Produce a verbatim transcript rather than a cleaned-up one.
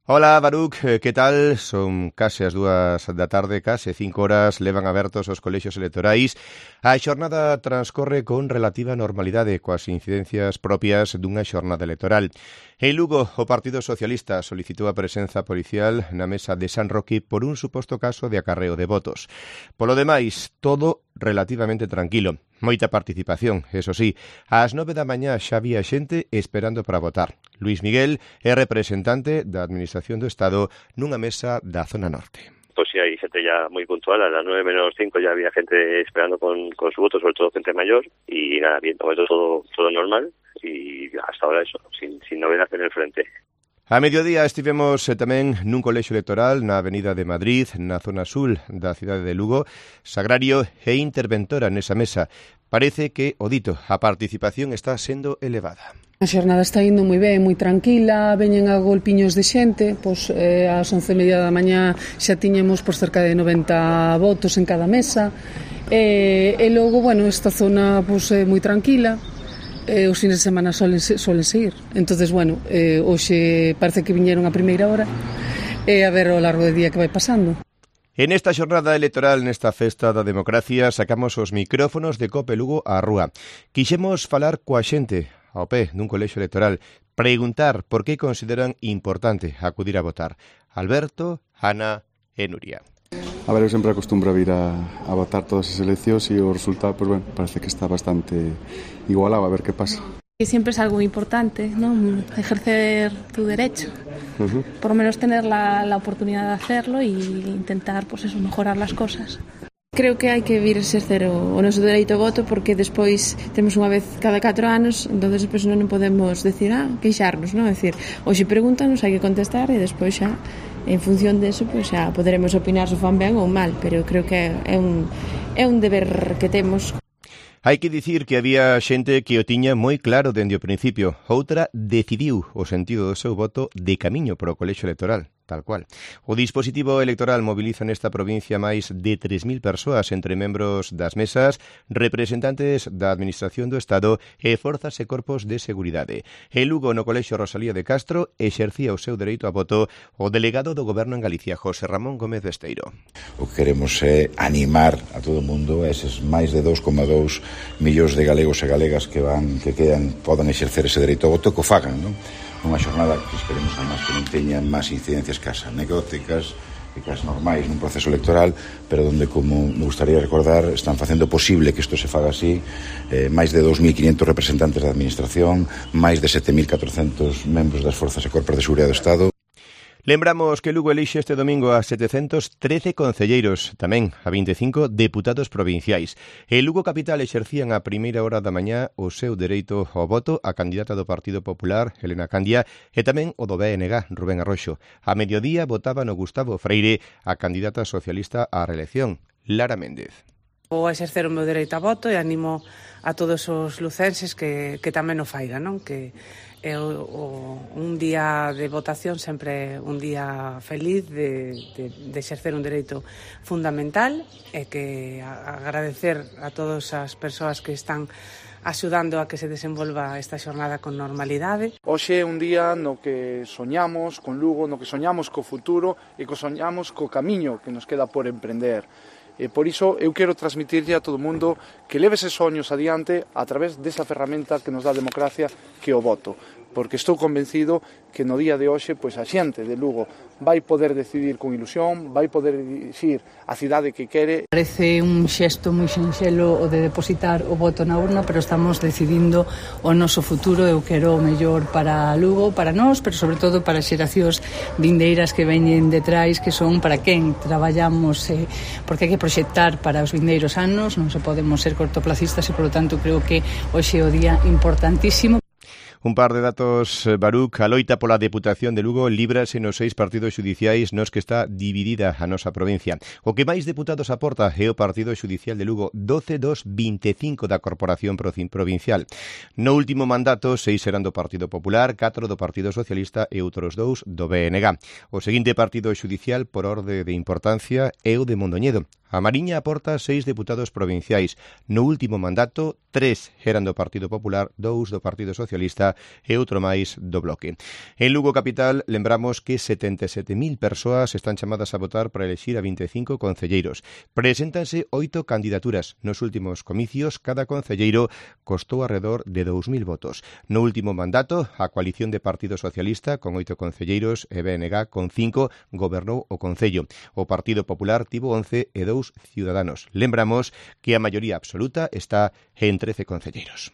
Ola, Baruch, que tal? Son case as dúas da tarde, case cinco horas, levan abertos os colexios electorais. A xornada transcorre con relativa normalidade, coas incidencias propias dunha xornada electoral. En Lugo, o Partido Socialista solicitou a presenza policial na mesa de San Roque por un suposto caso de acarreo de votos. Polo demais, todo relativamente tranquilo. Moita participación, eso sí. Ás nove da mañá xa había xente esperando para votar. Luis Miguel é representante da Administración do Estado nunha mesa da zona norte. Pues sí, hay gente ya muy puntual, a las nueve menos cinco ya había gente esperando con, con su voto, sobre todo gente mayor, y nada, bien, todo, todo normal, y hasta ahora eso, sin, sin novedad en el frente. A mediodía estivemos eh, tamén nun colexio electoral na Avenida de Madrid, na zona sul da cidade de Lugo. Sagrario e interventora nesa mesa. Parece que, o dito, a participación está sendo elevada. A xornada está indo moi ben, moi tranquila, veñen a golpiños de xente, pois eh, ás once e media da mañá xa tiñamos por cerca de noventa votos en cada mesa, e, e logo, bueno, esta zona pois, é moi tranquila. Eh, os fines de semana solen, solen seguir. Entonces, bueno, eh, hoxe parece que viñeron a primeira hora e eh, a ver ao largo do día que vai pasando. En esta xornada electoral, nesta festa da democracia, sacamos os micrófonos de Cope Lugo á rúa. Quixemos falar coa xente ao pé dun colexio electoral, preguntar por que consideran importante acudir a votar. Alberto, Ana e Nuria. A ver, eu sempre acostumbro a vir a, a votar todas as eleccións e o resultado, pues, bueno, parece que está bastante igualado, a ver que pasa. Siempre es algo importante, ¿no? Ejercer tu derecho, Uh-huh. por lo menos tener la, la oportunidad de hacerlo y intentar, pues eso, mejorar las cosas. Creo que hai que vir exercer o, o noso dereito ao voto porque despois temos unha vez cada catro anos, entonces despois non podemos decir, ah, queixarnos, non? É dicir, hoxe pregúntanos, hai que contestar e despois xa, en función deso, pois xa poderemos opinar se fan ben ou mal, pero creo que é un, é un deber que temos. Hai que dicir que había xente que o tiña moi claro dende o principio. Outra decidiu o sentido do seu voto de camiño para o colexio electoral. Tal cual. O dispositivo electoral moviliza nesta provincia máis de tres mil persoas entre membros das mesas, representantes da Administración do Estado e forzas e corpos de seguridade. En Lugo, no colexio Rosalía de Castro, exercía o seu dereito a voto o delegado do Goberno en Galicia, José Ramón Gómez Besteiro. O que queremos é animar a todo o mundo, eses máis de dous coma dous millóns de galegos e galegas que van que quedan, podan exercer ese dereito ao voto, que o fagan, non? Unha xornada que esperemos además que non teña máis incidencias que as anecdóticas e que as normais nun proceso electoral, pero donde, como me gustaría recordar, están facendo posible que isto se faga así, eh, máis de dous mil quinhentos representantes da Administración, máis de sete mil catrocentos membros das Forzas e Corpos de Seguridade do Estado. Lembramos que Lugo elixe este domingo a setecentos trece concelleiros, tamén a vinte e cinco deputados provinciais. En Lugo Capital exercían a primeira hora da mañá o seu dereito ao voto a candidata do Partido Popular, Helena Candia, e tamén o do B N G, Rubén Arroxo. A mediodía votaban o Gustavo Freire, a candidata socialista á reelección, Lara Méndez. Vou exercer o meu dereito a voto e animo a todos os lucenses que, que tamén o faigan, non? Que é o, o, un día de votación sempre un día feliz de, de, de exercer un dereito fundamental e que a, agradecer a todas as persoas que están axudando a que se desenvolva esta xornada con normalidade. Hoxe é un día no que soñamos con Lugo, no que soñamos co futuro e que soñamos co camiño que nos queda por emprender. E por iso eu quero transmitirlle a todo o mundo que leve eses soños adiante a través desa ferramenta que nos dá a democracia, que é o voto. Porque estou convencido que no día de hoxe pois a xente de Lugo vai poder decidir con ilusión, vai poder dicir a cidade que quere. Parece un xesto moi sinxelo o de depositar o voto na urna, pero estamos decidindo o noso futuro. Eu quero o mellor para Lugo, para nós, pero sobre todo para as xeracións vindeiras que veñen detrás, que son para quen traballamos, eh, porque hai que proxectar para os vindeiros anos, non se podemos ser cortoplacistas e, polo tanto, creo que hoxe é o día importantísimo. Un par de datos, Baruch. A loita pola Deputación de Lugo líbrase nos seis partidos xudiciais nos que está dividida a nosa provincia. O que máis deputados aporta é o Partido Xudicial de Lugo, doce dos vinte e cinco da Corporación Provincial. No último mandato, seis eran do Partido Popular, catro do Partido Socialista e outros dous do B N G. O seguinte partido xudicial por orde de importancia é o de Mondoñedo. A Mariña aporta seis deputados provinciais. No último mandato, tres eran do Partido Popular, dous do Partido Socialista e outro máis do Bloque. En Lugo capital, lembramos que setenta e sete mil persoas están chamadas a votar para elexir a vinte e cinco concelleiros. Preséntanse oito candidaturas. Nos últimos comicios, cada concelleiro costou alrededor de dous mil votos. No último mandato, a coalición de Partido Socialista, con oito concelleiros, e B N G con cinco, gobernou o Concello. O Partido Popular tivo once e dous Ciudadanos. Lembramos que a maioría absoluta está en trece concelleiros.